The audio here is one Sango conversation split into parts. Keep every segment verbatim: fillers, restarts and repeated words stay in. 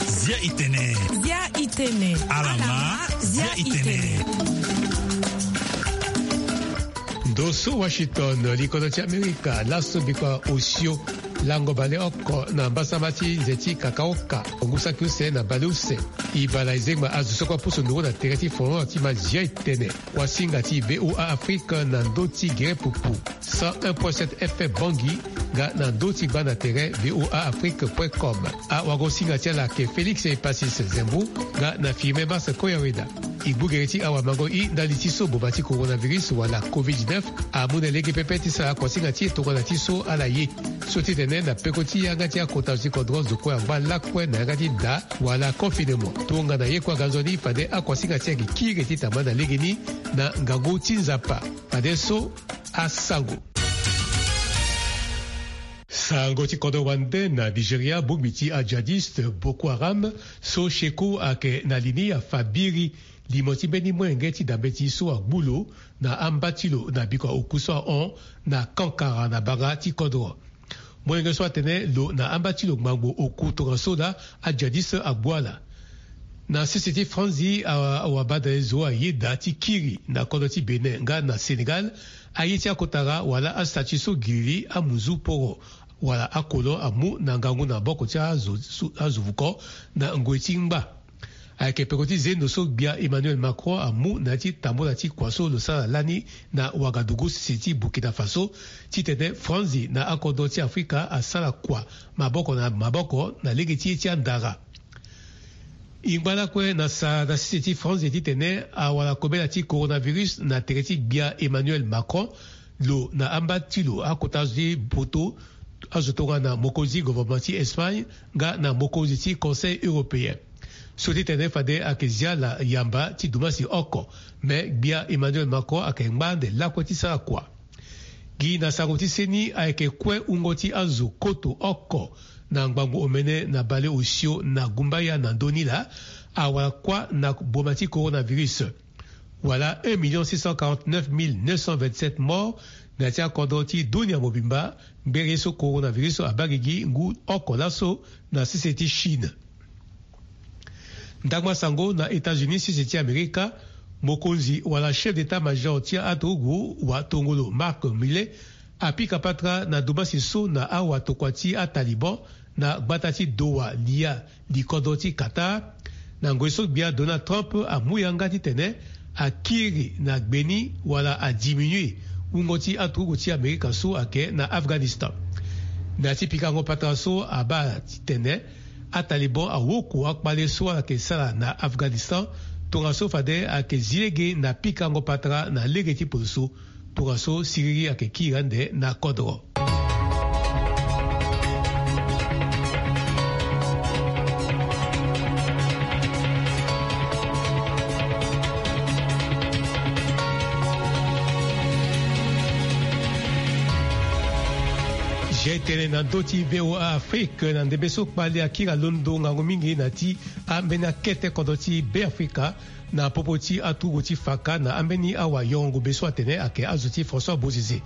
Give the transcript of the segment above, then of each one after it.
Zia itene. Zia itene. Alama. Zia itene. Ndo so Washington, likodo ti Amerika, laso bikua osio lango baleoko na mbasama ti nze ti kakaoka, ngu saki use na baleuse. Ibala ezengba azo so kue apusu nduru na tere ti folon ti ma Zia itene. Wasinga ti V O A Afrique na ndö ti gere pupu cent un point sept F M Bangui, nga na ndö ti gba na tere V O A Afrique point com. Awagosinga ti ala ayeke Félix Epasis Zembu, nga na Firmin Mars Koyaweda. E gbu gere ti awamango i ndali ti so boma ti coronavirus wala covid dix-neuf amu na lege pepe ti sara akuasinga ti e tongana ti so ala ye. So ti tene na peko ti yanga ti akota zo ti kodro zo kue angba lakue na yanga ti da wala confinement. Tongana ye kue aga nzoni, fade akuasinga ti e ayeke kiri ti tamba na legeni na ngangu ti Nzapa. Fadeso asango. Sango ti kodro wande na Nigeria, bongbi ti ajihadiste Boko Haram so Sheku ayeke na li ni afa biri limo ti mbeni molenge ti dambe ti so agbu lo na amba ti lo na bikua oku so ahon na Kankara na banga ti kodro. Molenge so atene lo na amba ti lo ngbangbo oku tongaso laa ajihadiste agbu ala. Na sese ti Franzi, a- awabadale zo ayeda ti kiri na kodro ti Bénin nga na Sénégal aye ti akotara wala astatut so giriri amuzu poro wala akolon amu na ngangu na maboko ti azo, su- azo vuko na ngoi ti ngba. Ayeke peko ti zendo so gbia Emmanuel Macron amu na ya ti tambula ti kua so lo sara lani na Ouagadougou, sese ti Burkina Faso, titene Franzi na akodro ti Afrika asara kua maboko na maboko na lege ti ye ti andara. E ngba lakue na sara na sese ti Franzi titene awara kobela ti coronavirus na tere ti gbia Emmanuel Macron, lo na amba ti lo akota azo ti poto, azo tongana mokonzi gouvernement ti Espagne nga na mokonzi ti Conseil européen. So ti tene fade ayeke zi ala yamba ti dumasi oko, me gbia Emmanuel Macron ayeke ngba ande lakue ti sara kua. Gi na sango ti seni ayeke kue wungo ti azo koto oko na ngbangbo omene na baleosio na Gumbaya na ndö ni laa awara kua na boma ti coronavirus. Wala un million six cent quarante-neuf mille neuf cent vingt-sept morts na ya ti akodro ti dunia mobimba, ngbere so coronavirus abaa gigi ngu oko laso na sese ti Chine. Ndangba sango na États-Unis, sese ti Amerika, mokonzi wala chef d'état-major ti aturugu wa tongolo Mark Milley apika patara na dumasi so na awatokua ti aTaliban na gbata ti Doha, lia, likodro ti Qatar. Na ngoi so gbia Donald Trump amu yanga titene akiri na gbe ni wala adiminue wungo ti aturugu ti Amerika so ayeke na Afghanistan. Na ya ti pikango patara so abaa titene aTaliban awoko akpale so ala yeke sara na Afghanistan, tongaso fade ayeke zi lege na pikango patara na lege ti potoso. Tongaso siriri ayeke kiri ande na kodro. Zia itene na ndö ti V O A Afrique na ndembe so kpale akiri alondo ngangu mingi na ti ambeni akete kodro ti Beafrika, na popo ti aturugu ti faka na ambeni awa yongo be so atene ayeke azo ti François Bozizé.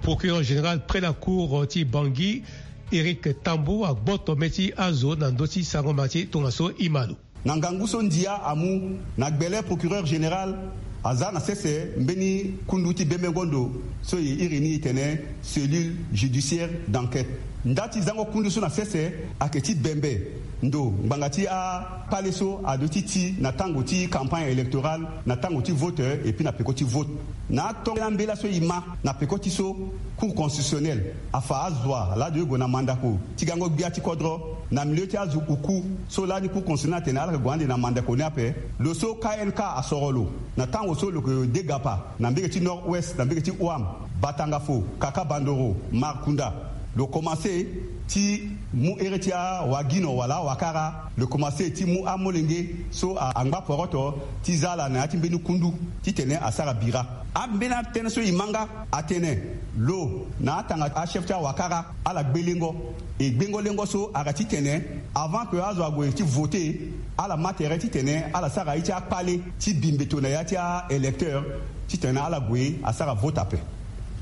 Procureur général près la cour ti Bangui, Éric Tambou, agboto mê ti azo na ndö ti sangoma ti tongaso e ma lo. Na ngangu so ndia amu na gbele, procureur général aza na sese mbeni kundu ti bembengo ndo so e iri ni e tene cellule judiciaire d'enquête. Nda ti zango kundu so na sese ayeke ti bembe ndo ngbanga ti akpale so aduti ti na tango ti campagne électorale, na tango ti vote, et puis na peko ti vote. Na atongana mbela so e ma na peko ti so, Cour constitutionnelle afa azo wa laa aduti gue na mandako ti gango gbia ti kodro na milieu ti azo oku so lani Cour constitutionnelle atene ala yeke gue ande na mandako ni ape. Lo so K N K asoro lo na tango so lo yeke degapa na mbege ti Nord-Ouest, na mbege ti Ouham, Batangafo, Kaka Bandoro, Markunda. Lo komanse ti mu here ti awagino wala awakara. Lo komanse ti mu amolenge so a- angba poroto ti za ala na ya ti mbeni kundu titene asara bira. Ambeni atënë so e ma nga atene lo na atanga achef ti awakara ala gbe lengo. E gbengo lengo so ayeke titene avant que azo ague ti vote, ala ma tere titene ala sara ye ti akpale ti bi mbeto na ya ti a-électeur titene ala gue asara vote ape.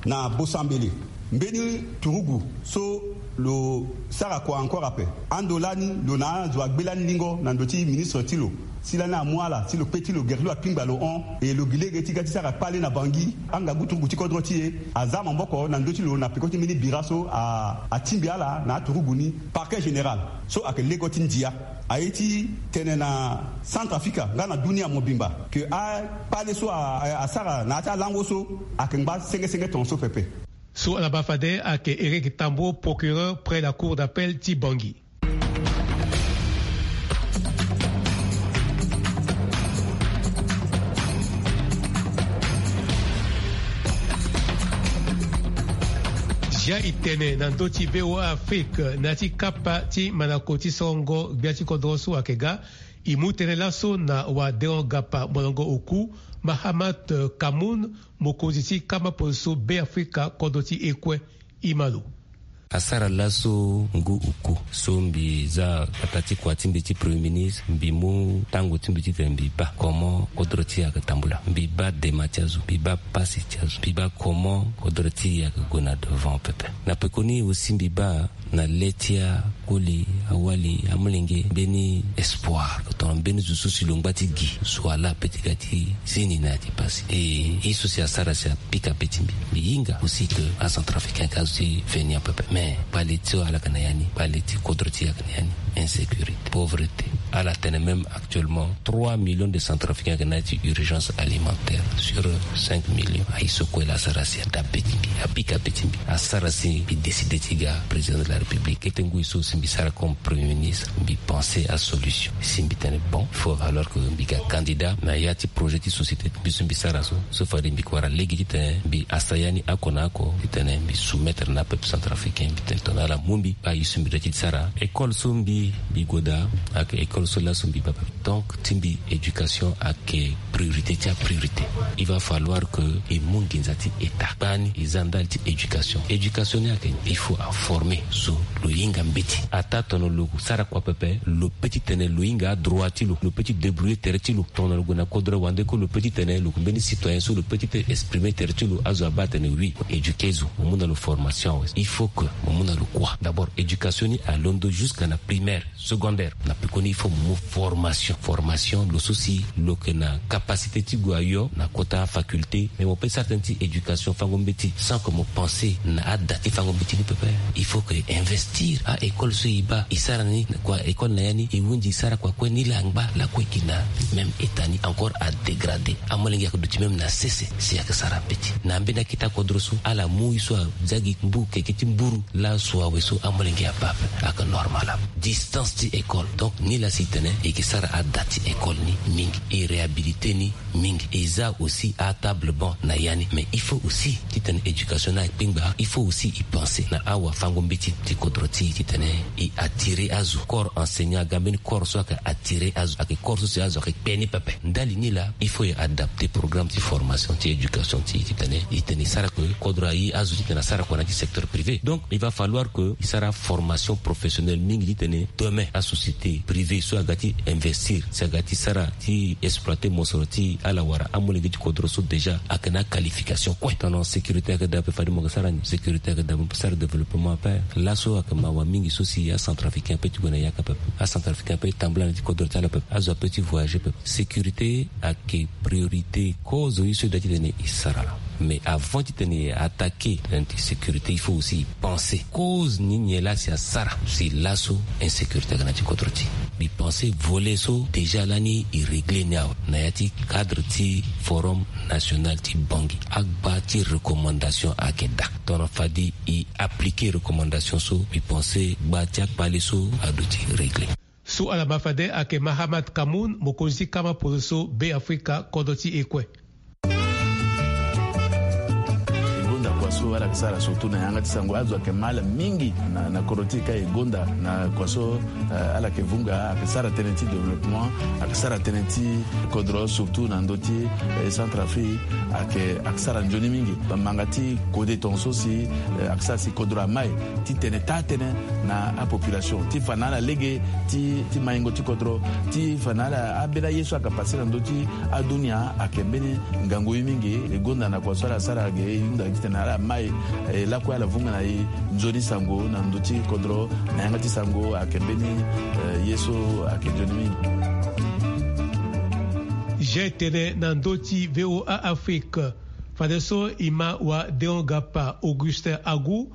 Na bosambele, mbeni turugu so Lo sara kua encore ape. Ando lani lo na azo agbe lani lingo na ndo ti ministre ti lo. Si lani amu ala si lo kpe ti lo gere ti lo akpingba lo hon. E lo gi lege ti ga ti sara kpale na Bangui. Angagu turugu ti kodro ti e aza maboko na ndö ti lo na peko ti mbeni bira so a, atingbi ala na aturugu ni. Parquet général so ayeke lego ti ndia aye ti tene na Centrafrica nga na dunia mobimba ke akpale so a, a, asara na ya ti alango so ayeke ngba senge senge tongaso pepe. So ala baa fade ayeke Eric Tambo, procureur près la cour d'appel ti Bangui. Zia e tene na ndö ti V O A Afrique na ya ti kapa ti mandako ti sorongo gbia ti kodro so ayeke ga. E mu tënë laso na wadeon gapa molongo oku, Mahamat Kamoun, mokonzi ti kama polo so Beafrika kodro ti e kue. E ma lo. Asara laso ngu oku so mbi za kpata ti kua ti mbi ti premier ministre, mbi mu tango ti mbi titene mbi baa comment kodro ti e ayeke tambula. Mbi baa dema ti azo, mbi baa pasi ti azo, mbi baa comment kodro ti e ayeke gue na devant pepe. Na pekoni aussi mbi baa na le ti akoli, awali, amolenge, mbeni espoir tongana mbeni zo so si lo ngba ti gi zo ala ape ti ga ti zeni na ya ti pasi. E ye so si asara si apika be ti mbi. Mbi hinga aussi ke acentrafricain ayeke azo ti feni apepe. Mais kpale ti so ala yeke na ya ni, kpale ti kodro ti e ayeke na ya ni. Insécurité, pauvreté. Ala tene même actuellement trois millions de centrafricains ayeke na ya ti urgence alimentaire sur cinq millions. Aye so kue la asara si ada be ti mbi, apika be ti mbi. Asara si mbi décide ti ga président de la République. Kete ngoi so si mbi sara comme premier ministre, mbi pense asolution. Si mbi tene bon, il faut valoir que mbi ga candidat na ya ti projet ti société ti mbi so mbi sara so. So fade mbi kue wara lege titene mbi hasa ya ni oko na oko, titene mbi soumettre na peuple centrafricain, mbi tene tongana ala mu mbi, aye so mbi doit ti sara. École so mbi, mbi gue daa, ayeke école so laso mbi baa. Donc ti mbi, éducation ayeke priorité ti apriorité. Il va falloir que e mu nginza ti État. Kpani e za ndali ti éducation. Éducation ni ayeke, il faut aformer zo lo hinga mbeti. Ataa tongana lo sara kua pepe, lo peut titene lo hinga adroit ti lo, lo peut ti débrouiller tere ti lo. Tongana lo gue na kodro wande kue, lo peut titene lo yeke mbeni citoyen so lo peut ti exprimer tere ti lo. Azo abaa atene oui, mo éduquer zo, mo mu na lo formation awe. Il faut que mo mu na lo kua. D'abord éducation ni alondo jusqu'à na primaire, secondaire. Na pekoni il faut mo mu formation. Formation, lo so si lo yeke na capacité ti gue ayo na kota faculté, mais mo peut sara tënë ti éducation fango mbeti sans que mo pense na ada ti fango mbeti ni pepe. Il faut que e investir. A école so e baa, e sara ni kua école na ya ni, e hunzi e sara kua kue, nilaa angba lakue e yeke na même état ni encore adégradé. Amolenge ayeke duti même na sese si ayeke sara mbeti. Na ambeni akete akodro so ala mu ye so aza gi mbu keke ti mburu. Laso awe so amolenge abaa ape ayeke normal ape. Distance ti école. Donc nilaa si e tene e yeke sara ada ti école ni mingi, e réhabiliter ni mingi. E za aussi atable banc na ya ni. Mais il faut aussi titene éducation ni akpengba. Il faut aussi e pense na awafango mbeti ti kodro ti e titene e attirer azo. Corps enseignant aga mbeni corps so ayeke attirer azo, ayeke corps so si azo ayeke kpe ni pepe. Ndali ni laa, il faut e adapter programme ti formation ti éducation ti e titene e tene e sara ke kodro aye azo titene asara kua na ya ti secteur privé. Donc il va falloir que e sara formation professionnelle mingi titene demain asociété privée so aga ti investir, si aga ti sara ti exploiter mosoro ti ala wala amolenge ti kodro so déjà ayeke na aqualification kue. Tongana sécurité ayeke daa ape, fade mo yeke sara ni. Sécurité ayeke daa ape, mo sara développement ape. Laso ayeke mawa mingi so si acentrafricain ape ti gue na yaka ape. Acentrafricain ape tambula na ya ti kodro ti ala ape. Azo ape ti voyager ape. Sécurité ayeke priorité. Cause ye so e doit titene e sara laa. Mais avant titene e attaquer tënë ti sécurité, il faut aussi e pense cause ni nyen laa si asara si laso insécurité aga na ya ti kodro ti e. Mbi pense volet so déjà lani e régler ni awe na ya ti cadre ti forum national ti Bangui. Agba ti recommandation ayeke daa. Tongana fade e appliquer recommandation so, mbi pense gba ti akpale so aduti régler. So ala ma fade ayeke Mahamat Kamoun, mokonzi ti kama polo so Beafrika kodro ti e kue. E gonda kua so ala yeke sara surtout na yanga ti sango. Azo ayeke mal mingi na, na kodro ti e ka e gonda na kua so, eh, ala yeke vunga, ayeke sara tënë ti développement, ayeke sara tënë ti kodro surtout na ndö ti, eh, Centrafrique, ayeke, ayeke sara nzoni mingi. Bambanga ti kode tongaso si, eh, ayeke sara si kodro amai ti tene taa tënë na apopulation, ti fa na ala lege ti, ti maingo ti kodro, ti fa na ala ambeni aye so ayeke pase na ndö ti adunia. Ayeke mbeni ngangu ye mingi. E gonda na kua so ala sara ge, e hunda titene ala mai E lakue ala vunga na e nzoni sango na ndö ti kodro na yanga ti sango ayeke mbeni, eh, ye so ayeke nzoni mingi. Jeu tene na ndö ti VOA Afrique. Fadeso e ma wa Deon Gapa Augustin Agu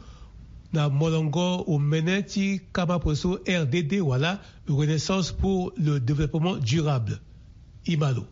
na molongo omene ti kama poso R D D wala Renaissance pour le développement durable. E ma lo.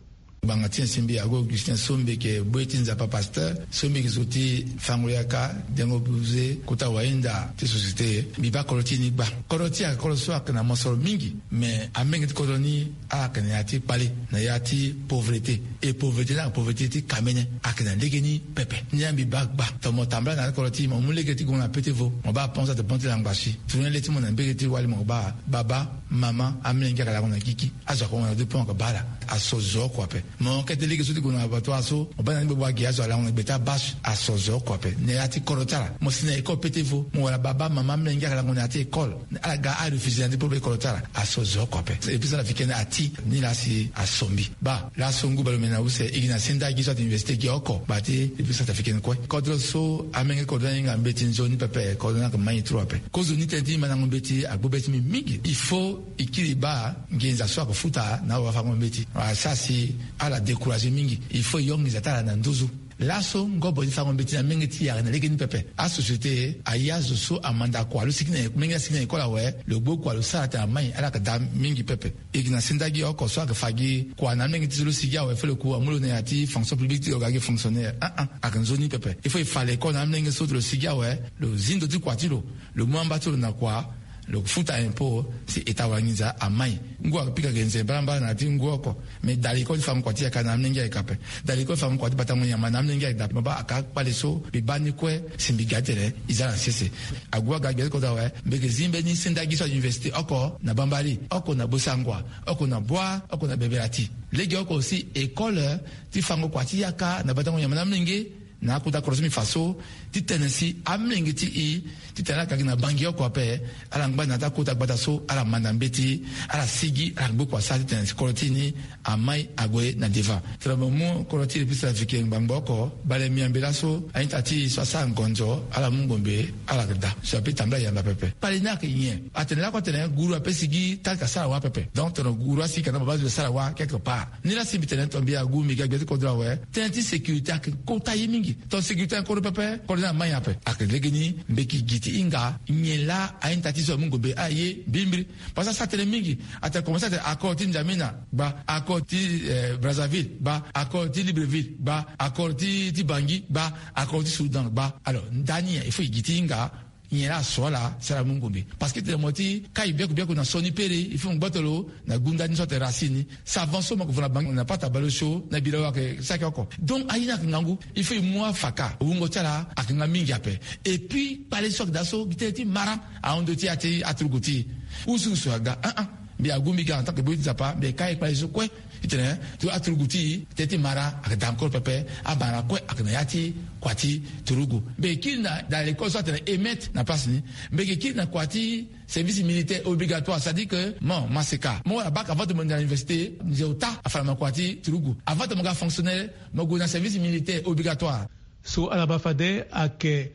Ngbanga ti nyen si mbi Agu Augustin so mbi yeke bue ti Nzapa pasteur, so mbi yeke zo ti fango yaka, dengo buze, kota wahinda ti société, mbi baa kodro ti e ni gba. Kodro ti e ayeke kodro so ayeke na mosoro mingi, mais amenge ti kodro ni ala yeke na ya ti kpale, na ya ti pauvreté. E pauvreté ni ayeke pauvreté ti kamene, ayeke na legeni pepe. Ni la mbi baa gba. Tongana mo tambala na ya ti kodro ti e, mo mu lege ti gongo na pete vo, mo baa pon so ate pon ti langba si. Tourner le ti mo na mbege ti wali, mo baa baba, mama, amolenge ayeke lango na gigi. Azo ayeke hon na deux points, ayeke baa ala. Aso zo oko ape. Mo kete lege so ti gue na abattoir so, mo baa na ni gbogbo agi, azo alango na gbe ti abâche. Aso zo oko ape. Na ya ti kodro ti ala, mo si na école pete vo, mo wara baba, mama, amolenge ayeke lango na ya ti école. Ala ga, arefuser na ni pour école ti ala. Aso zo oko ape. Épuis centrafricaine ati ni laa si aso mbi. Baa laso ngu baleomene na use, e gi na senda gi so ate université gi oko, baa ti épuis centrafricaine kue. Kodro so amenge kodro ni ahinga mbeti nzoni pepe, kodro ni ayeke mai trop ape. Kozoni tënë ti mandango mbeti agbu be ti mbi mingi. Il faut e kiri baa nginza so ayeke futa na awafango mbeti. Asara si ala décourager mingi. Il faut e yo nginza ti ala na nduzu. Laso ngobo ti fango mbeti na menge ti e ayeke na legeni pepe. Asociété aye azo so amanda kua lo sigi na menge asigi na école awe, lo gbu kua lo sara atene amai, ala yeke daa mingi pepe. E gi na senda gi oko so ayeke fa gi kua na amolenge ti so lo sigi awe, fo lo ku amu lo na ya ti fonction publique ti lo ga gi fonctionnaire. Ah, ah, ayeke nzoni pepe. Il faut e fa lekole na amolenge so ti lo sigi awe, lo zi ndo ti kua ti lo, lo mu amba ti lo na kua, lo futa impôt, si état wara nginza amai. Ngu apika ge nze mbalambala na ya ti ngu oko. Mais da lekole ti fango kua ti yaka na amolenge ayeke ape. Da lekole ti fango kua ti batango nyama na amolenge ayeke daa ape. Mo baa aka kpale so mbi baa ni kue, si mbi ga titene e za na sese. Agu aga gbia ti kodro awe, mbi yeke zi mbeni senda gi so a université oko na Bambari, oko na Bossangoa, oko na Bouar, oko na Bebeyati. Lege oko aussi école ti fango kua ti yaka na batango nyama na amolenge, na akota kodro so mbi fa so, titene si amolenge ti e, titene ala yeke gi na Bangui oko ape, ala ngba na ya ti akota gbata so ala manda mbeti, ala sigi, ala gbu kua sara titene si kodro ti e ni amai ague na devant. Tongana mo mu kodro ti République centrafricaine ngbangbo oko, bale miambe laso, a-ita ti e so asara ngonzo, ala mu ngombe, ala yeke daa. So ape tambula yamba pepe. Kpale ni ayeke nyen? Atene lakue atene guru ape sigi, tali ka sara wa pepe. Donc tongana guru asigi ka na baba zo sara wa quelque part. Ni la si mbi tene tongana mbi Agu mbi ga gbia ti kodro awe, tënë ti sécurité ayeke kota ye mingi. Tongana sécurité ayeke kodro pepe, kodro ni amai ape. Ayeke legeni mbeki gi ti hinga, nyen la a-ita ti so amu ngombe, aye mbimbiri. Parce que asara tënë mingi. Atene commencer atene accord ti N'Djamena, gba, accord ti, eh, Brazzaville, gba, accord ti Libreville, gba, accord ti, ti Bangui, gba, accord ti Soudan, gba. Alors ndani il faut e gi ti hinga, nyen la aso ala, si ala mu ngombe. Parce que tene mo ti kai biaku biaku na sioni pere, il faut mo gboto lo na gunda ni so atene racine ni. Savon so mo yeke vo na Bangui na pata baleosio na bira wa ayeke saki oko. Donc aye ni ayeke ngangu, il faut e mu afaka, wungo ti ala ayeke nga mingi ape. Et puis kpale so ayeke daa so gi tënë ti mara ahon ndo ti ya ti aturugu ti e. Usu usu aga, ah, ah. Mbi Agu mbi ga en tant que boi ti Nzapa, mbi yeke kai kpale so kue. Titene ti aturugu ti e, tënë ti mara ayeke daa encore pepe, amara kue ayeke na ya ti kua ti turugu. Mbi yeke kiri na, dans l'école so atene E M E T na place ni. Mbi yeke kiri na kua ti service militaire obligatoire, c'est-à-dire que mo maseka, mo wara bac avant ti mo gue na université, nze ota afa na mo kua ti turugu. Avant ti mo ga fonctionnaire, mo gue na service militaire obligatoire. So ala ma fade ayeke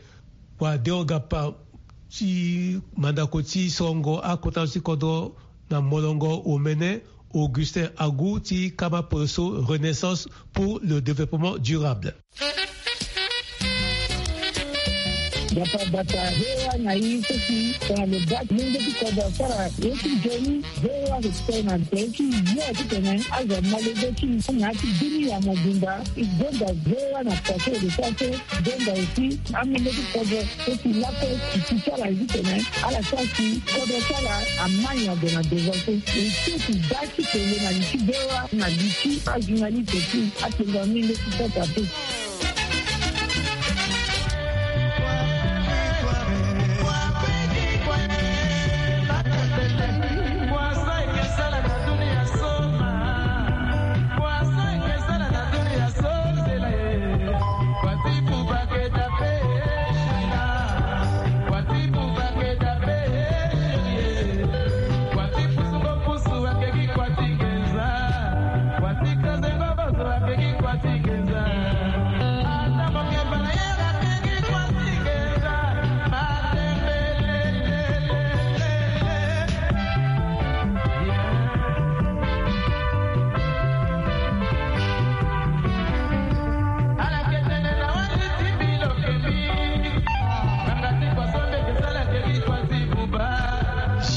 wa Deon Gapa ti mandako ti sorongo akota ti kodro na molongo omene, Augustin Agu ti kama poroso Renaissance pour le développement durable. Gapa bata hewa na i so si tongana lo baa ti lenge ti kodro asara ye ti nzoni. Hewa respect na nze ti yo titene azo amolenge ti i na ya ti bini ya mobimba. I gonda hewa na kua so lo sara so. Gonda aussi amolenge ti kodro so si lakue ti ti ti ala ye titene ala sara si kodro ti ala amai ague na devant so. E so ti baa ti tene na li ti hewa na li ti ajournaliste ti atengo amolenge ti kodro ape.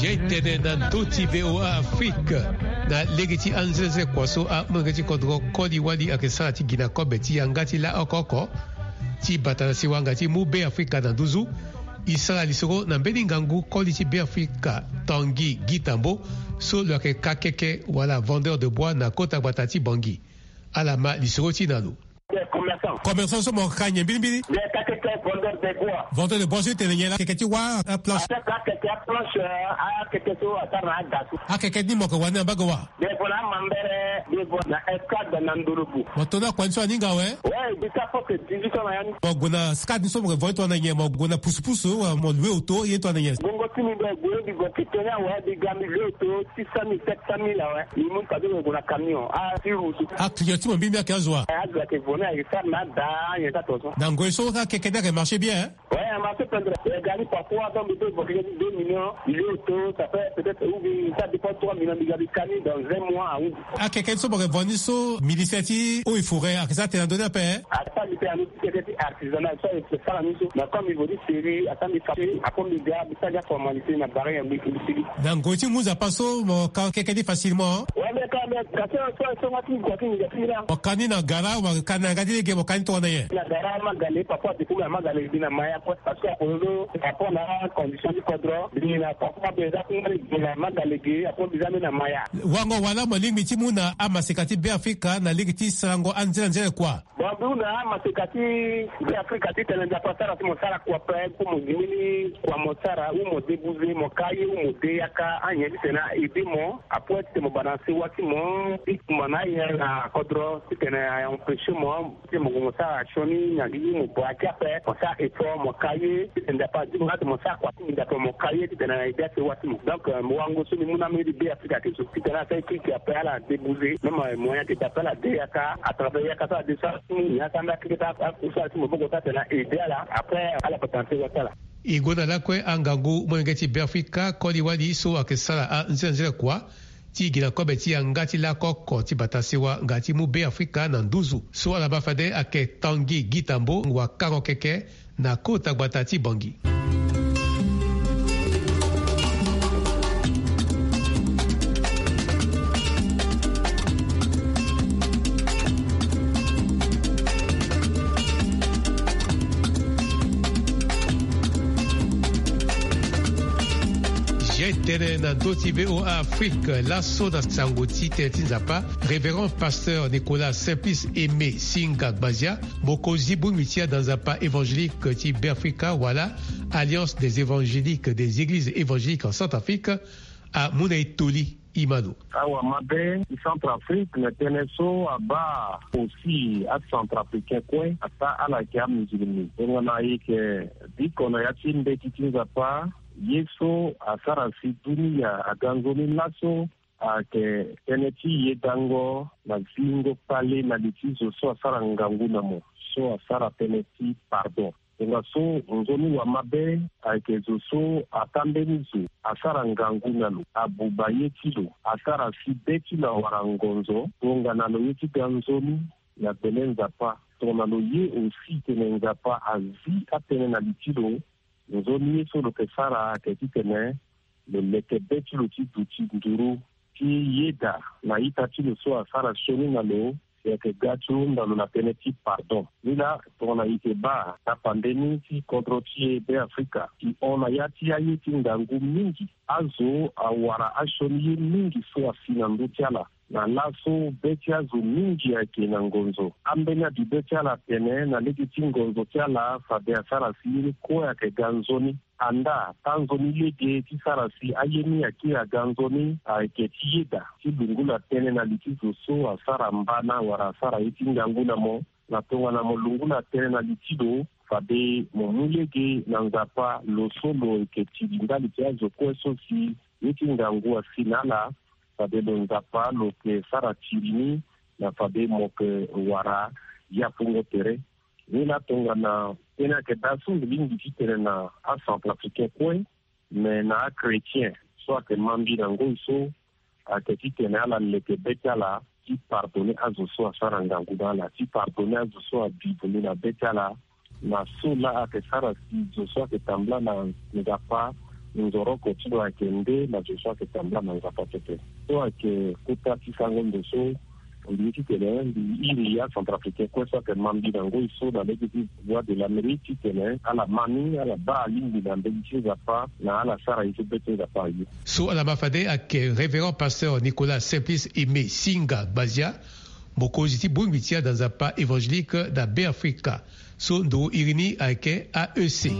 Etene na ndö ti VOA Afrique. Na lege ti anzenze kua so amolenge ti kodro koli wali ayeke sara ti gi na kobe ti yanga ti la oko oko ti bata na siwa nga ti mu Be Afrika na nduzu. E sara lisoro na mbeni ngangu koli ti Be Afrika, Tanguy Guy Tambo, so lo yeke kakeke wala vendeur de bois na kota gbata ti Bangui. Ala ma lisoro ti na lo. Commerçant so mo ka nyen mbirimbiri? Vendeur de bois so e tene nyen la? Akeke ti wâ, aplanche? Akeke aplanche, akeke so asara na aga so. Akeke ni mo yeke wani na mbage wa? Devant na Mambere, devant na Escad na Ndolobu. Mo to ni akua ni so aninga awe? Ouais, jusqu'à force dix-huit ans na ya ni. Mo gue na Scad ni so mo yeke vo ni tongana nyen? Mo gue na pusupusu, mo loue auto, ye ni tongana nyen? Bongo ti mi be gue ni, bi gue ti tene awe, bi ga mi loue auto six cent mille, sept cent mille awe. Mi mu ni fade mo gue na camion. Ah, ti route. Aclient ti mo mbirimbiri ayeke azo wa? Eh, azo ayeke vo ni, ayeke sara na ada, nyen ti ato so. Na ngoi so akeke ni ayeke marché bien, hein? Ouais, a marché pendere. Eh, gari parfois, donc, deux, deux millions, il est auto, ça fait peut-être, ou bien, ça dépend, trois millions de gari cani dans un mois, oui. Akeke ni so mo yeke vo ni so, ministère ti eaux et forêts ayeke sara tene na ndö ni ape, hein? Asara tene na ndö ti artisanal, so ayeke sara ni so. Mais comme il veut dire, c'est lui, asara ni faci, après, mi ga, mi sara formalité, na barre, mi, mi, mi. Na ngoi ti mu Nzapa so, mo ka keke ni facilement, hein? Ouais, mais quand même, quand ça, ça, ça, ça, ça, ça, ça, ça, ça, ça, Mo ka ni na gara, mo ka ni na yanga ti lege, mo ka ni tongana nyen? Na gara Magale, papa, depuis na Magale, bi na Maya, quoi. Parce que apolo, papa, na condition ti kodro, bi na papa, be za ku ngari, bi na Magale ge, apolo, bi za ni na Maya. Wango wala mo lingbi ti mu na amaseka ti Be Afrika na lege ti sarango anzere anzere kua? Bon, bi na amaseka ti Be Afrika ti tene Nzapa sara ti mo sara kua pe, ku mo gi mbeni kua mo sara, ou mo débouser, mo ka ye, ou mo de yaka, anyen ti tene aide mo, apoi ti tene mo bana sewa ti mo, ti kumba na aye na kodro, ti tene a empêcher mo, ti mo gue mo sara sioni na gi mo bua ti ape, mo sara effort, mo ka ye, ti tene Nzapa adi mo, ati mo sara kua ti mo, Nzapa mo ka ye, ti tene na aide asewa ti mo. Donc, euh, mo wango so mi mu na mbeni Be Afrika ti so. Ti tene asara kiki ape ala débouser. Même, euh, moyen ti d'appel ala de yaka, à travers yaka so ala de sara ti mo, ni asara mbeni akeke ti a, a, kusala ti maboko ti atene aide ala. Après, ala bata na sewa ti ala. E gue na lakue angangu molenge ti Be Afrika, koli wali so ayeke sara anzere anzere kua ti gi na kobe ti yanga ti lakoko ti bata sewa nga ti mu Be Afrika na nduzu. So ala baa fade ayeke Tanguy Guy Tambo, wakango keke na kota gbata ti Bangui. Ye tene na ndö ti VOA Afrique, laso na sango ti tene ti Nzapa, révérend pasteur Nicolas Simplice Aimé Singa Gbazia, mokonzi bongbi ti ada Nzapa évangélique ti Beafrika wala Alliance des évangéliques des églises évangéliques en Centrafrique, amu na e toli. Imano. Awa mabe ti Centrafrique na tënë so abaa aussi aCentrafricain kue, ataa ala yeke amusulmi. Tongana e yeke biko na ya ti mbeti ti Nzapa, ye so asara si dunia aga nzoni laso, ayeke tënë ti yedango na zingo kpale na li ti zo so asara ngangu na mo, so asara tënë ti pardon. Tongaso nzoni wa mabe ayeke zo so ataa mbeni zo asara ngangu na lo, abuba ye ti lo, asara si be ti lo awara ngonzo, tongana lo ye ti ga nzoni na gbele Nzapa. Tongana lo ye aussi tene Nzapa azi atënë na li ti lo, nzoni ye so lo yeke sara ayeke titene lo leke be ti lo ti duti nduru ti yeda na ita ti lo so asara sioni na lo, si ayeke ga ti hunda lo na tënë ti pardon. Ni laa, tongana e yeke baa tapande ni ti kodro ti e Beafrika, e hon na ya ti aye ti ngangu mingi. Azo awara asioni ye mingi so asi na ndö ti ala. Na laso be ti azo mingi ayeke na ngonzo. Ambeni abi be ti ala atene na lege ti ngonzo ti ala fade asara si ye ni kue ayeke ga nzoni. Andaa, taa nzoni lege ti sara si aye ni akiri aga nzoni ayeke ti yeda ti lungula tënë na li ti zo so asara mbana wala asara ye ti ngangu na mo. Na tongana mo lungula tënë na li ti lo, fade mo mu lege na Nzapa, lo so lo yeke tiri ndali ti azo kue so si ye ti ngangu asi na ala, fade lo Nzapa lo yeke sara tiri ni, na fade mo yeke wara yapungo tere. Ni laa tongana tënë ayeke daa so mbi lingbi ti tene na aCentrafricain kue, me na achrétien so ayeke ma mbi na ngoi so, ayeke titene ala leke be ti ala ti pardonner azo so asara ngangu na ala, ti pardonner azo so abi bundu na be ti ala, na so laa ayeke sara si zo so ayeke tambula na Nzapa Nzoroko ti lo ayeke nde na zo so ayeke tambula na Nzapa pepe. So ayeke kota ti sango ndo so mbi ye titene mbi iri aCentrafricain kue so ayeke ma mbi na ngoi so na lege ti Voix de l'Amérique titene ala ma ni, ala baa alingbi na mbeni ti Nzapa, na ala sara ye so be ti Nzapa aye. So ala ma fade ayeke Révérend Pasteur Nicolas Simplice Aimé Singa Gbazia, mokonzi ti bongbi ti ada Nzapa évangélique na Beafrika. So ndo iri ni ayeke A E C.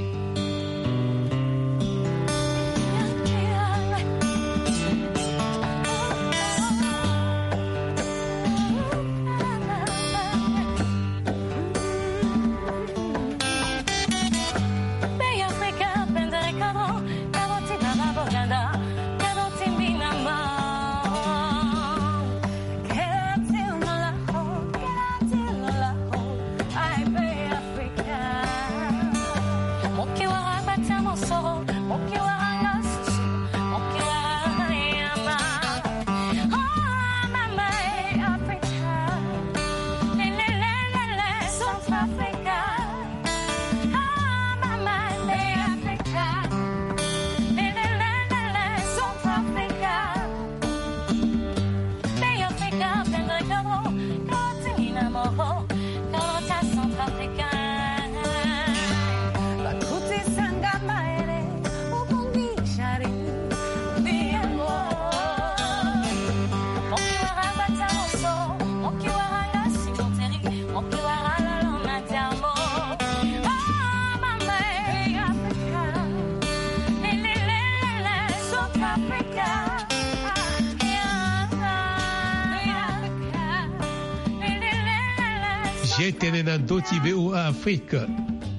Ye tene na ndö ti V O A Afrique.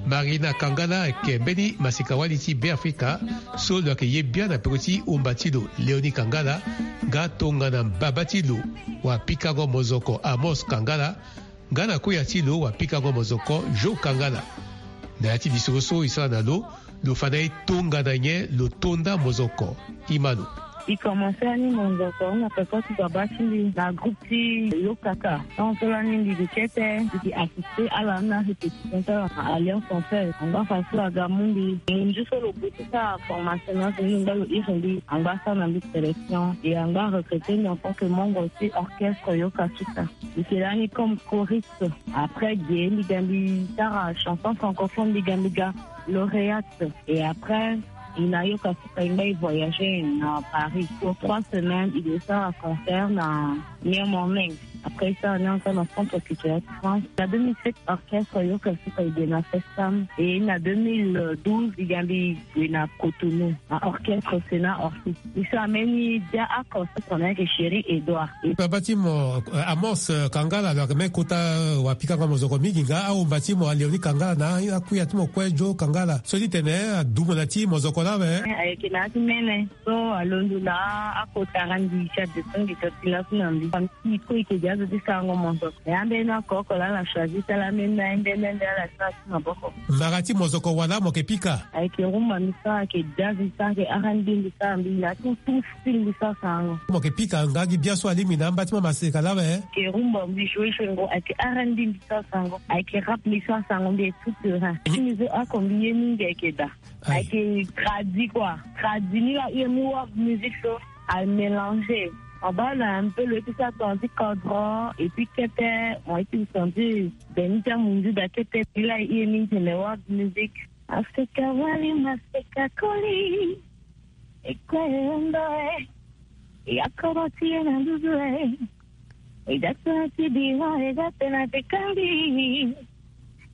Marina Kangala ayeke mbeni maseka-wali ti Beafrika so lo yeke ye biani na peko ti omba ti lo Léonie Kangala, nga tongana mbaba ti lo wapikango mozoko Amos Kangala, nga na kuya ti lo wapikango mozoko Jo Kangala. Na ya ti lisoro so e sara na lo, lo fa na e tongana nyen lo to nda mozoko. Ima lo. E komanse ani mozoko na peko ti baba ti mbi na groupe ti Yokaka. Tant so lani mbi gi kete, mbi gi assisté ala na répétition ti ala na Alliance Française. Angba fa so aga mu mbi, ngu nzu so lo gue ti sara formation na so mbi ngba lo iri mbi, angba sara na mbi sélection et angba recruté mbi en tant que membre ti orchestre Yokaka. Mbi yeke lani comme choriste. Après ge mbi ga mbi sara chanson francophone, mbi ga mbi ga lauréate. Et après, e na Yokaka e ngba e voyagé na Paris pour trois semaines, e ke sara concert na Miami. Après e sara ni encore na Centre Culturel de France. Na deux mille sept, orchestre Yokaka e ke na Festam. Et na deux mille douze, e ga mbi gue na Cotonou, na orchestre Sénat Orsi. E sara mbeni dia oko so tongana ayeke Chéri Edouard. Baba ti mo, eh, Amos, eh, Kangala, lo yeke même kota, eh, wapikango mozoko mingi nga aomba ti mo Léonie Kangala na akuya ti mo kue Jo Kangala. So ti tene, eh, adumu na ti mozoko laa awe. Eh, ayeke na ya ti mene. So alondo na akota randi ti adescend ti laso na mbi. Famille ti e kue e yeke gi azo ti sarango mozoko. E ambeni oko oko laa ala choisi ti ala ambeni na ambeni nde ala sara ti maboko. Mara ti mozoko wala mo yeke pika? Ayeke rumba mbi sara, ayeke jazz mbi sara, ayeke R and B mbi sara, mbi na tout, tout style mbi sara sarango. Mo yeke pika nga gi bia so alingbi na amba ti mo maseka laa awe? Ayeke rumba mbi joue joue ngo, ayeke R and B mbi sara sarango, ayeke rap mbi sara sarango, mbi est tout terrain. Ti mbi so oko mbi ye mingi ayeke daa. Aye. Ayeke tradi quoi. Tradi ni la, e mu world music so a mélanger. Mo baa na un peu lo ye ti sara tonga ti kodro, et puis kete mo ye ti senti beni ti amunzu daa kete. Ni la e ye mingi tene world music. Maseka wali, maseka koli. E kue e ondo e. E akoro ti e na nduzu e. E da tena ti bira, e da tena ti kandi.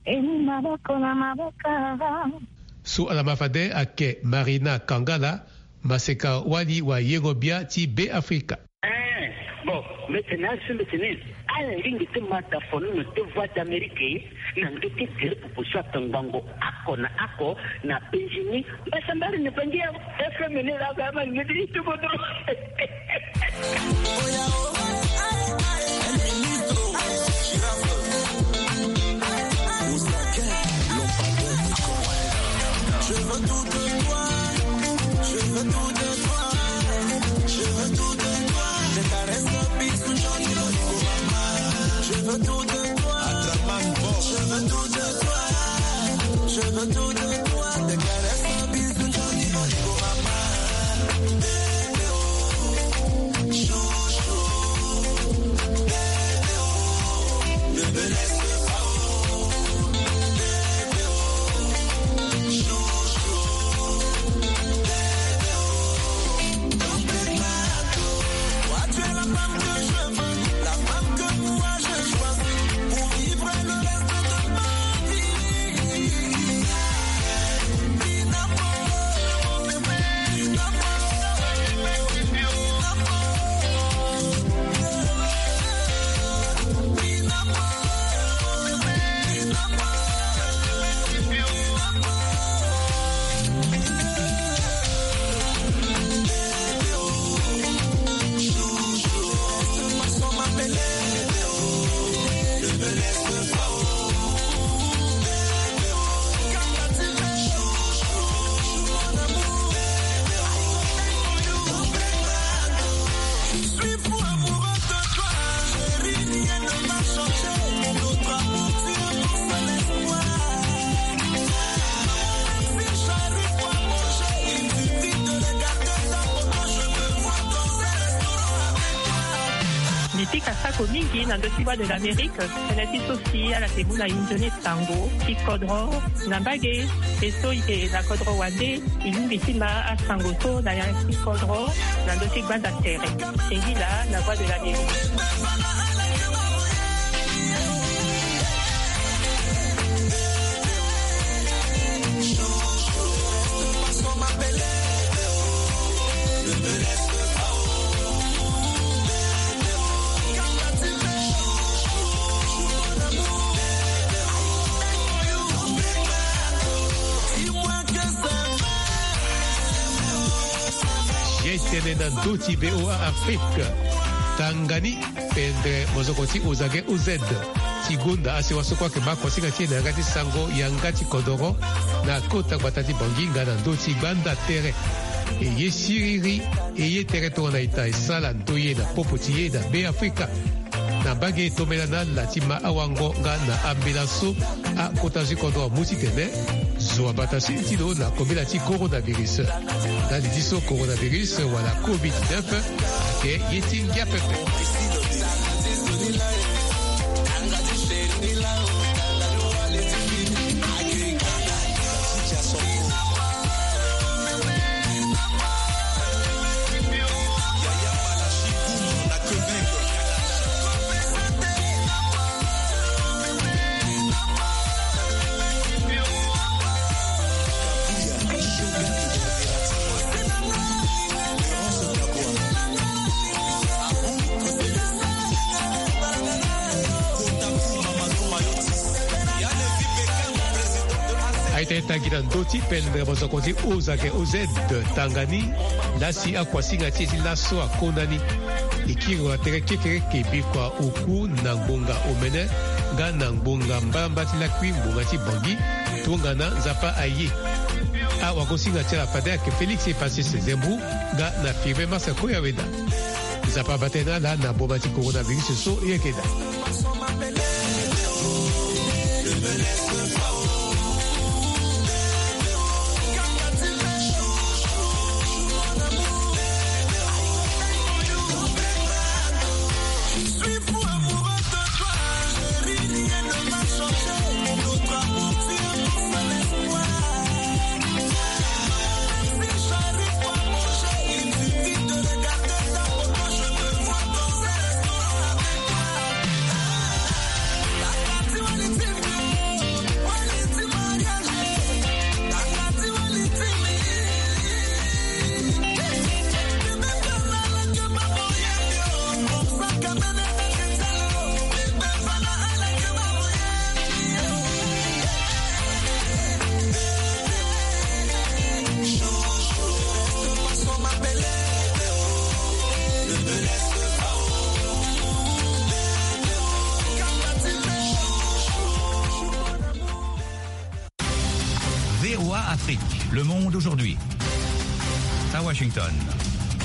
E mu maboko na maboko. So ala ma fade ayeke Marina Kangala, maseka wali wayengo bia ti Beafrika. Eh, bon, mbi tene azo mbi tene ala lingbi ti ma daa fono na deux Voix d'Amérique, na ndö ti gere pupu so atongbango oko na oko na penzi ni. Mbasambara ni bangi ya F M ni la ba ma ngedi itu bodo. Je veux tout de toi, je veux tout de toi, je veux tout de toi. Tes caresses, tes bisous, Johnny Boy, mama. Je veux tout de toi, je veux tout de toi, je veux tout de toi. Tes caresses, tes bisous, Johnny Boy, mama. Afrika asako mingi na ndö ti Voix de l'Amérique. Tënë ti so si ala yeke mu na e nzoni sango ti kodro na mbage. E so e yeke na kodro wande, e lingbi ti ma asango so na ya ti kodro na ndö ti gbanda tere. Singila na Voix de l'Amérique. Ye tene na ndö ti V O A Afrique. Tanga ni pendere mozoko ti Ozage O Z ti gonda asewa so kue ayeke ma kuasinga ti e na yanga ti sango yanga ti kodoro na kota gbata ti Bangui nga na ndö ti gbanda tere. E ye siriri, e ye tere tongana ita e sara ndoye na popo ti e na Be Afrika. Na mbage tombela na ala ti ma awango nga na ambela so akota zo ti kodro amu titene zo abata sini ti lo na kobela ti coronavirus. Na li ti so coronavirus wala covid dix-neuf ayeke ye ti ngia pepe. Aita e tangi na ndö ti pendere mozoko ti Ozage O Z tanga ni. Lasi akuasinga ti e ti laso akona ni. E kiri wa tere kekereke bikua oku na ngbonga omene nga na ngbonga mbalambala ti lakui ngbonga ti Bangui. Tongana Nzapa aye. Awagosinga ti ala fade ayeke Félix Epasis Zembrou nga na Firmin Massa Koyaweda. Nzapa abata na ala na boma ti coronavirus so e yeke daa. V O A Afrique, le monde aujourd'hui. À Washington.